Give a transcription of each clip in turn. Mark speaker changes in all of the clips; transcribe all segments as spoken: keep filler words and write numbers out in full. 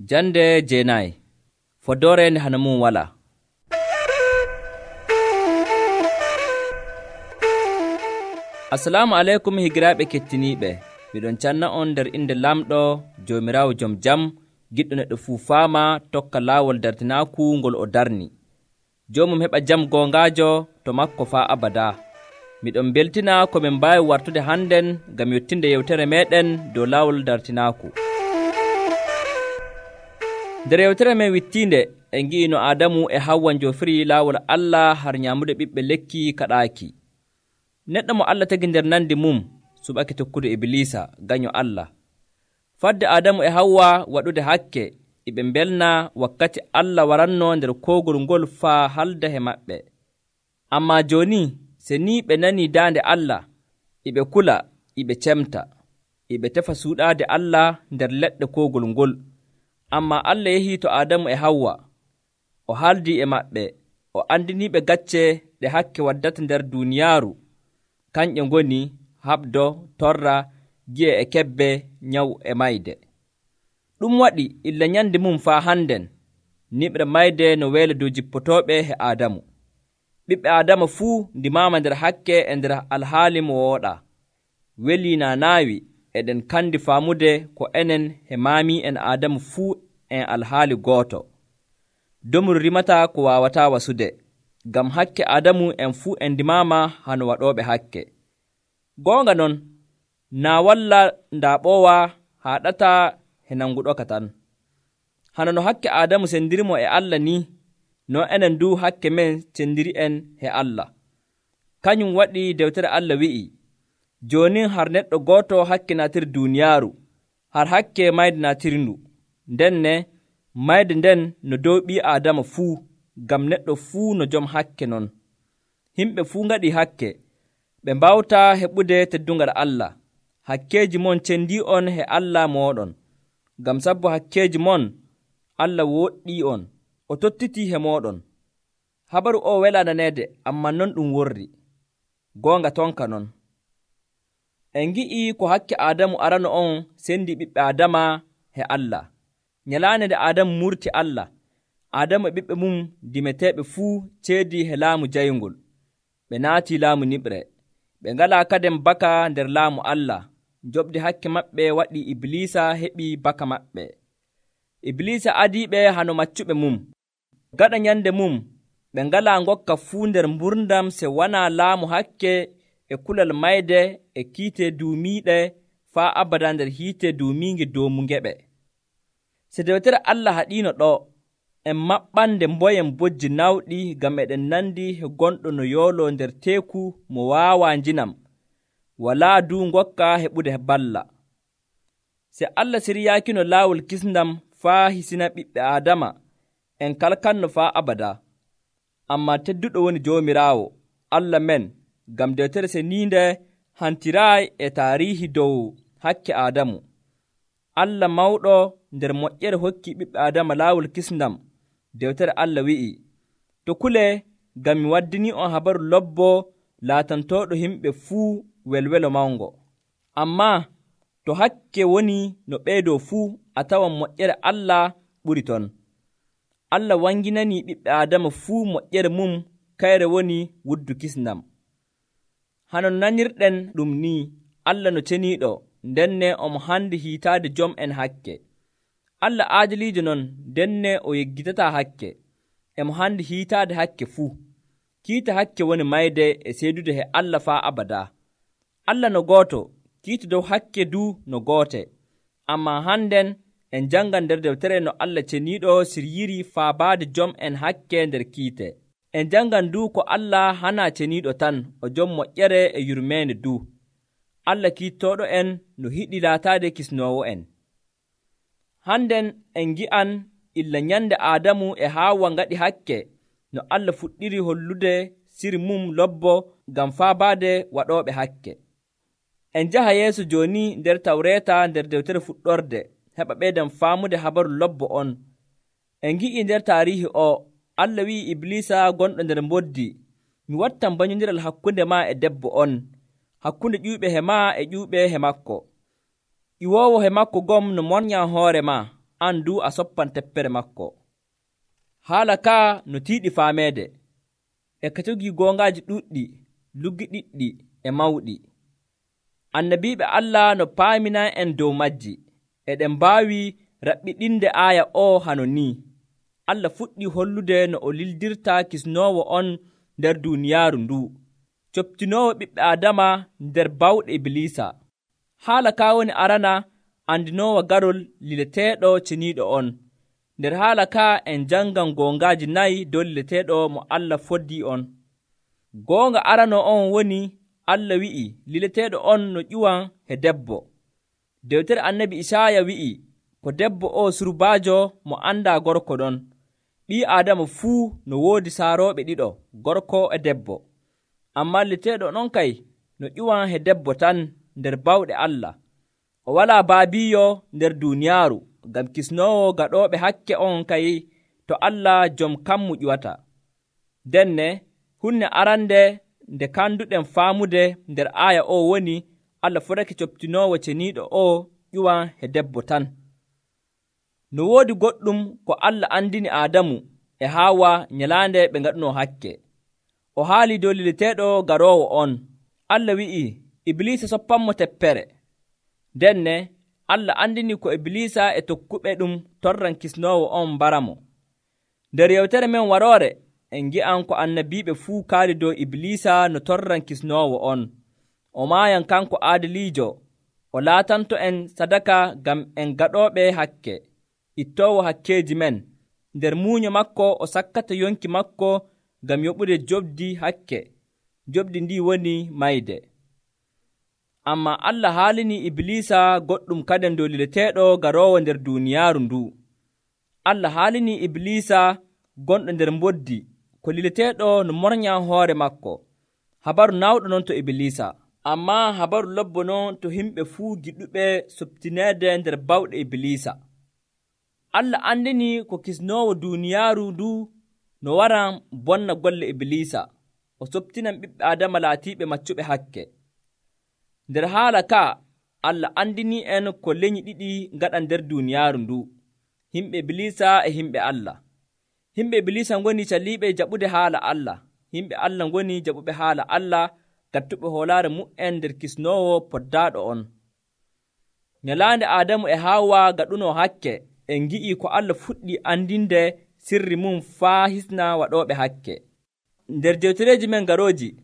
Speaker 1: Jande jeenayi fodore nde hana mum wala. Assalamu aleykum higiraaɓe kettiniiɓe. Miɗon canna on nder inde lamɗo Joomiraawo jom jam, giɗɗo neɗɗo fuu faama tokka laawol dartinaaku ngol o darni. Joomum heɓa jam goongaajo to makko faa abadaa. Miɗon beltina ko min mbaawi wartude hannden ngam yottinde yewtere meeɗen dow laawol dartinaaku. Nder yewtere men wittiinde en ngi'i no Aadamu e Hawwa njoofiri laawol Allah har nyaamude ɓiɓɓe lekki kaɗaaki. Neɗɗo mo Allah tagi nder nandi mum suɓake tokkude Ibilisa gaño Allah. Fadde Aadamu e Hawwa waɗude hakke iɓe mbelna wakkati Allah waranno nder koogol ngol faa halda he maɓɓe. Ammaa jooni se ni ɓe nanii daande Allah, iɓe kula, iɓe cemta, iɓe tefa suuɗaade Allah nder leɗɗe koogol ngol. Ammaa Allah yehii to Aadamu e Hawwa, o haaldii e maɓɓe, o andiniiɓe gacce ɗe hakke waddata nder duuniyaaru, kanƴe ngoni haɓdo, torra, gi'e e kebbe, nyawu e mayde. Ɗum waɗi illa nyande mum faa hannden, niɓre mayde no weele dow jippotooɓe he Aadamu. Ɓiɓɓe Aadama fuu ndimaama nder hakke e nder alhaali mo wooɗaa. Welii naa naawi eɗen kandi faamude ko enen he maami'en Aadamu fuu en alhaali gooto. Domru rimataa ko waawataa wasude, ngam hakke Aadamu en fuu en ndimaama hano waɗooɓe hakke. Goonga non, naa walla ndaa ɓoowa haaɗataa he nanguɗoka tan. Hano no hakke Aadamu sendirimo e Allah ni, no enen du hakke men cendiri'en he Allah. Kañum waɗi dewtere Allah wi'i, joonin har neɗɗo gooto hakke naatiri duuniyaaru, har hakke mayde naatirindu. Ndenne mayde nden no dow ɓii Aadama fuu, ngam neɗɗo fuu no jom hakke non. Himɓe fuu ngaɗii hakke, ɓe mbawtaa heɓude teddungal Allah. Hakkeeji mon cendii on he Allah mooɗon, ngam sabbo hakkeeji mon Allah woɗɗii on, o tottitii he mooɗon. Habaru o welaa naneede, ammaa non ɗum worri. Goonga tonka non. En ngi'ii ko hakke Aadamu arano on sendi ɓiɓɓe Aadama he Allah. Nyalaande nde Aadamu murti Allah, Aadamu e ɓiɓɓe mum dimeteeɓe fuu ceedii he laamu jayngol. Ɓe naatii laamu niɓre. Ɓe ngalaa kadem baka nder laamu Allah. Joɓde hakke maɓɓe waɗi Ibilisa heɓii baka maɓɓe. Ibilisa adiiɓe hano maccuɓe mum. Gaɗa nyande mum, ɓe ngalaa ngokka fuu nder mburdam se wanaa laamu hakke e kulal mayde e kiite duumiiɗe faa abada nder hiite duumiinge doomu ngeɓe. Se dewtere Allah haɗiino ɗo, en maɓɓande mboyen bojji nawɗi ngam eɗen nandi he gonɗo no yooloo nder teeku mo waawaa njinam, walaa du ngokka heɓude balla. Se Allah siryaakino laawol kisndam faa hisina ɓiɓɓe Aadama, en kalkanno faa abada. Ammaa tedduɗo woni Joomiraawo, Allah men, ngam dewtere seniinde hantiraayi e taariihi dow hakke Aadamu. Allah mawɗo nder moƴƴere hokki ɓiɓɓe Aadama laawol kisndam. Dewtere Allah wi'i, to kulee ngam mi waddini on habaru lobbo laatantooɗo yimɓe fuu welwelo mawngo. Ammaa to hakke woni no ɓeydoo fuu, a tawan moƴƴere Allah ɓuri ton. Allah wanginanii ɓiɓɓe Aadama fuu moƴƴere mum kayre woni wuddu kisndam. Hano nanirɗen ɗum ni, Allah no ceniiɗo, ndenne omo handi hiitaade jom en hakke. Allah aadiliijo non, ndenne o yeggitataa hakke. Emo handi hiitaade hakke fuu. Kiita hakke woni mayde e seedude he Allah faa abadaa. Allah no gooto, kiita dow hakke du no goote. Ammaa hannden en janngan nder dewtere no Allah ceniiɗo siryiri faabaade jom en hakke nder kiite. En janngan du ko Allah hanaa ceniiɗo tan, o jom moƴƴere e yurmeende du. Allah kiittooɗo en no hiɗi laataade kisnoowo en. Hannden en ngi'an illa nyande Aadamu e Haawa ngaɗi hakke, no Allah fuɗɗiri hollude siri mum lobbo ngam faabaade waɗooɓe hakke. En njaha yeeso jooni nder Tawreeta nder dewtere fuɗɗorde, heɓa ɓeyden faamude habaru lobbo on. En ngi'ii nder taariihi o, Allah wi'i Iblisa gonɗo nder mboddi, mi wattan banyondiral hakkunde maa e debbo on, hakkunde ƴuuɓe he maa e ƴuuɓe he makko. Ƴiwoowo he makko gom no monyaa hoore maa, an du a soppan teppere makko. Haala ka no tiiɗi faameede, e ka jogii goongaaji ɗuɗɗi, luggiɗiɗɗi e mawɗi. Annabiiɓe Allah no paaminay en dow majji, eɗen mbaawi raɓɓiɗinde aaya o hano ni. Allah fuɗɗii hollude no o lildirta kisnoowo on nder duuniyaaru ndu, coptinoowo ɓiɓɓe Aadama nder bawɗe Ibliisa. Haala ka woni arana andinoowo garol lileteeɗo ceniiɗo on. Nder haala ka en jangan goongaaji nayi dow lileteeɗo mo Allah foddii on. Goonga arano on woni Allah wi'i lileteeɗo on no ƴuwan he debbo. Dewtere annabi Isaaya wi'i ko debbo o surbaajo mo andaa gorko ɗon. Ɓii Aadama fuu no woodi saarooɓe ɗiɗo, gorko e debbo. Ammaa lileteeɗo on kay no ƴuwan he debbo tan nder bawɗe Allah. O walaa baabiiyo nder duuniyaaru, ngam kisnoowo gaɗooɓe hakke on kay to Allah jom kammu ƴuwata. Denne hunde arande nde kanduɗen faamude nder aaya o woni Allah fotake coptinoowo ceniiɗo o ƴuwan he debbo tan. No woodi goɗɗum ko Allah andini Aadamu e Haawa nyalaande ɓe ngaɗunoo hakke. O haali dow lileteeɗo garoowo on. Allah wi'i Ibliisa soppanmo teppere. Denne Allah andini ko Ibliisa e tokkuɓe ɗum torran kisnoowo on mbaramo. Nder yewtere men waroore en ngi'an ko annabiiɓe fuu kaali dow Ibliisa no torran kisnoowo on. O maayan kanko aadiliijo, o laatanto en sadaka ngam en gaɗooɓe hakke, ittoowo hakkeeji men. Nder muunyo makko o sakkata yonki makko ngam yoɓude joɓdi hakke. Joɓdi ndi woni mayde. Ammaa Allah haalinii Ibliisa goɗɗum kaden dow lileteeɗo garoowo nder duuniyaaru ndu. Allah haalinii Ibliisa gonɗo nder mboddi ko lileteeɗo no mornyan hoore makko. Habaru nawɗo non to Ibliisa, ammaa habaru lobbo non to himɓe fuu giɗuɓe soptineede nder bawɗe Ibliisa. Allah andini ko kisnoowo duuniyaaru ndu no waran bonna golle Ibliisa, o soptinan ɓiɓɓe Aadama laatiiɓe maccuɓe hakke. Nder haala ka Allah andini en ko lenyi ɗiɗi ngaɗan nder duuniyaaru ndu, himɓe Ibliisa e himɓe Allah. Himɓe Ibliisa ngoni caliiɓe jaɓude haala Allah, himɓe Allah ngoni jaɓuɓe haala Allah gattuɓe hoolaare mu'en nder kisnoowo poddaaɗo on. Nyalaande Aadamu e Haawa gaɗunoo hakke, en ngi'i ko Allah fuɗɗi andinde sirri mum faa hisna waɗooɓe hakke. Nder jewtereeji men garooji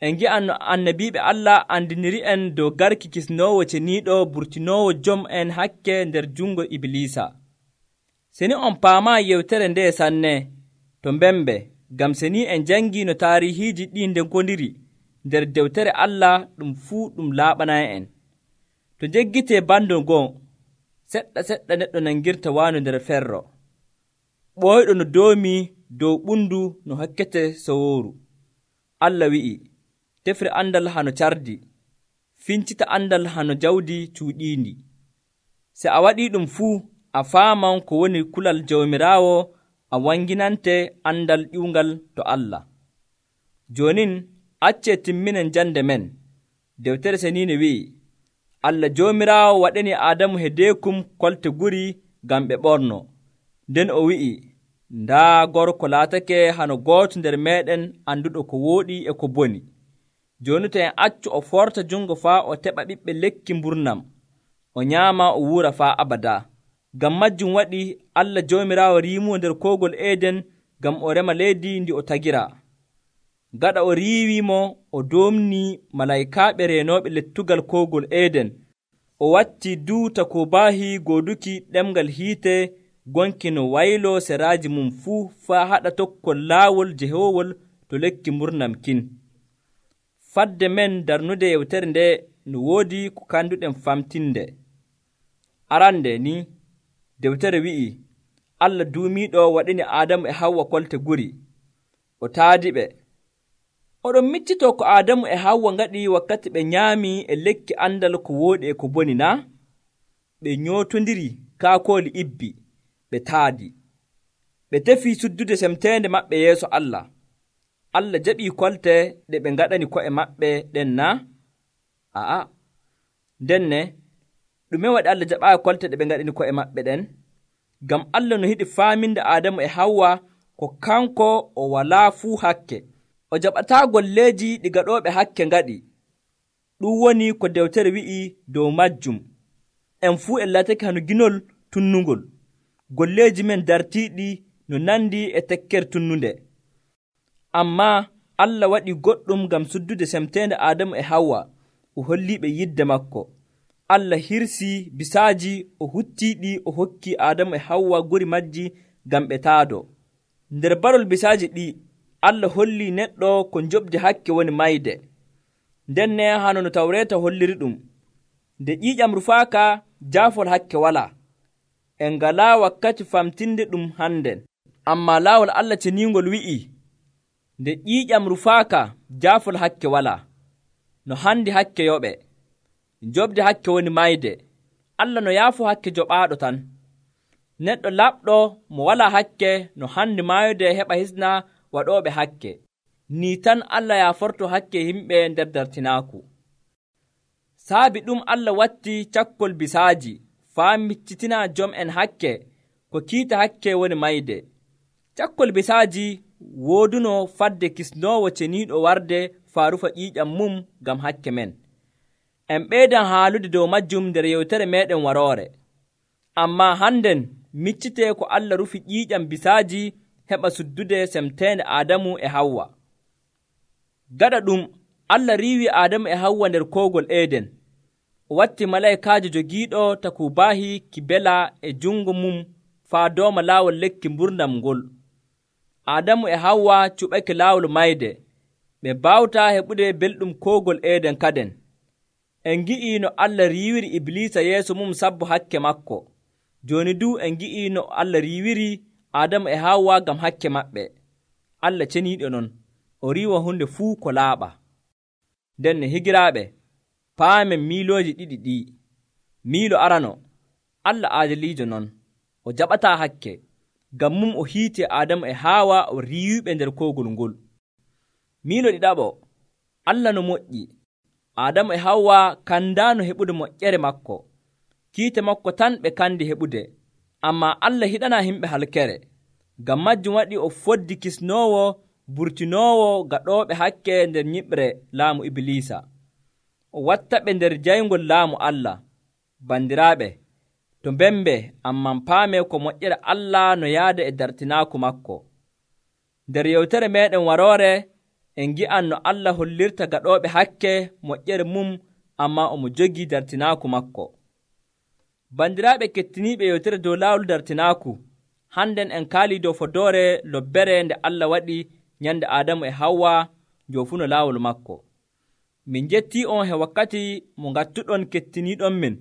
Speaker 1: en ngi'an no annabiiɓe Allah andiniri en dow garki kisnoowo ceniiɗo burtinoowo jom en hakke nder jungo Ibliisa. Seni on paamaa yewtere nde sanne to mbembe, ngam seni en jangi no taarihiiji ɗi nde gondiri nder dewtere Allah, ɗum fuu ɗum laaɓanay en. To jeggitee bando ngon, seɗɗa seɗɗa neɗɗo nangirta waano nder ferro, ɓooyɗo no doomi dow ɓundu no hokkete sowooru. Allah wi'i, tefre andal hano cardi, fincita andal hano jawdi cuuɗiindi. Se a waɗii ɗum fuu, a faaman ko woni kulal Jawmiraawo, a wanginante andal ƴiwngal to Allah. Joonin accee timminen jande men. Dewtere seniine wi'i, Allah Jawmiraawo waɗani Aadamu hedeekum kolte guri ngam ɓe ɓorno. Nden o wi'i, ndaa gorko laatake hano gooto nder meeɗen annduɗo ko wooɗi e ko boni. Jooni to en accu o forta jungo faa o teɓa ɓiɓɓe lekki mburnam, o nyaama o wuura faa abada. Ngam majjum waɗi Allah Jawmiraawo riimuwo nder koogol Eeden ngam o rema leydi ndi o tagira. Gaɗa o riiwiimo, o doomnii malaykaaɓe reenooɓe lettugal koogol Eeden. O watti duuta ko baahi gooduki ɗemgal hiite gonki no wayloo seraaji mum fuu faa haɗa tokkol laawol jehoowol to lekki mburnam kin. Fadde men darnude yewtere nde no woodi ko kanduɗen famtinde. Arande ni, dewtere wi'i, Allah duumiiɗo waɗini Aadamu e Hawwa kolte guri, o taadi ɓe. Oɗon miccitoo ko Aadamu e Hawwa ngaɗi wakkati ɓe nyaami e lekki andal ko wooɗi e ko boni na? Ɓe nyootondiri kaakooli ibbi, ɓe taadi. Ɓe tefii suddude semteende maɓɓe yeeso Allah. Allah jaɓii kolte ɗe ɓe ngaɗani ko'e maɓɓe ɗen na? Aa, ndenne, ɗume waɗi Allah jaɓaayi kolte ɗe ɓe ngaɗani ko'e maɓɓe ɗen? ngam Allah no hiɗi faaminde Aadamu e Hawwa ko kanko o walaa fuu hakke, o jaɓataa golleeji ɗi gaɗooɓe hakke ngaɗi. Ɗum woni ko dewtere wi'i dow majjum. En fuu en latake hano ginol tunnungol, golleeji men dartiiɗi no nandi e tekkere tunnunde. Ammaa Allah waɗi goɗɗum ngam suddude semteende Aadamu e Hawwa, o holliiɓe yidde makko. Allah hirsii bisaaji, o huttiiɗi, o hokkii Aadamu e Hawwa guri majji ngam ɓe taadoo. Nder barol bisaaji ɗi, Allah hollii neɗɗo ko njoɓdi hakke woni mayde. Nden ne hano no Tawreeta holliri ɗum. Nde ƴiiƴam rufaaka, jaafol hakke walaa. En ngalaa wakkati famtinde ɗum hannden. Ammaa laawol Allah ceniingol wi'ii, nde ƴiiƴam rufaaka, jaafol hakke walaa. No handi hakke yoɓe. Njoɓdi hakke woni mayde. Allah no yaafu hakke joɓaaɗo tan. Neɗɗo laɓɗo mo walaa hakke no handi maayude heɓa hisna waɗooɓe hakke. Nii tan Allah yaaforto hakke yimɓe nder dartinaaku. Saabi ɗum Allah watti cakkol bisaaji faa miccitina jom'en hakke ko kiita hakke woni mayde. Cakkol bisaaji wooduno fadde kisnoowo ceniiɗo warde faa rufa ƴiiƴam mum ngam hakke men. En ɓeydan haalude dow majjum nder yewtere meeɗen waroore. Ammaa hannden miccitee ko Allah rufi ƴiiƴam bisaaji heɓa suddude semteende Aadamu e Hawwa. Gaɗa ɗum, Allah riiwi Aadamu e Hawwa nder koogol Eeden. O watti malaykaajo jogiiɗo takubaahi kibela e jungo mum faa dooma laawol lekki mburnam ngol. Aadamu e Hawwa cuɓake laawol mayde. Ɓe baawtaa heɓude belɗum koogol Eeden kaden. En ngi'ii no Allah riiwiri Ibliisa yeeso mum sabbu hakke makko. Jooni du en ngi'ii no Allah riiwiri Aadamu e Hawwa ngam hakke maɓɓe. Allah ceniiɗo non, o riiwa hunde fuu ko laaɓa. Nden ne higiraaɓe, paamen miilooji ɗiɗi ɗi. Miilo arano, Allah aadiliijo non, o jaɓataa hakke. Ngam mum o hiiti Aadamu e Hawwa o riiwiɓe nder koogol ngol. Miilo ɗiɗaɓo, Allah no moƴƴi. Aadamu e Hawwa kandaano heɓude moƴƴere makko. Kiite makko tan ɓe kandi heɓude. Ammaa Allah hiɗanaa himɓe halkere. Ngam majjum waɗi o foddi kisnoowo burtinoowo gaɗooɓe hakke nder nyiɓre laamu Ibliisa. O wattaɓe nder jayngol laamu Allah. Bandiraaɓe, to mbembe amman paame ko moƴƴere Allah no yaada e dartinaaku makko. Nder yewtere meeɗen waroore, en ngi'an no Allah hollirta gaɗooɓe hakke moƴƴere mum, ammaa omo jogii dartinaaku makko. Bandiraaɓe kettiniiɓe yewtere dow laawol dartinaaku, hannden en kaalii dow fodoore lobbere nde Allah waɗi nyande Aadamu e Hawwa njoofuno laawol makko. Min njettii on he wakkati mo ngattuɗon kettiniiɗon min.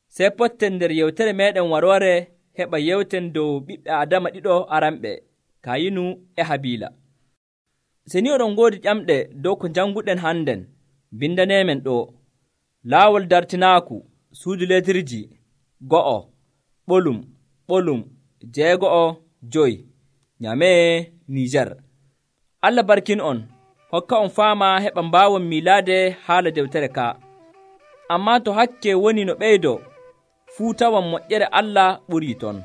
Speaker 1: Sey potten nder yewtere meeɗen waroore heɓa yewten dow ɓiɓɓe Adama ɗiɗo aranɓe, Kayinu e Habiila. Se ni oɗon ngoodi ƴamɗe dow ko njannguɗen hannden, bindaneemen ɗo: laawol dartinaaku, suudu letirji, go'o, ɓolum, ɓolum, jeego'o, joyi, Nyamee, Niijar. Allah barkin on, hokka on faama heɓa mbaawon miilaade haala dewtere ka. Ammaa to hakke woni no ɓeydo, fuu tawan moƴƴere Allah ɓurii ton.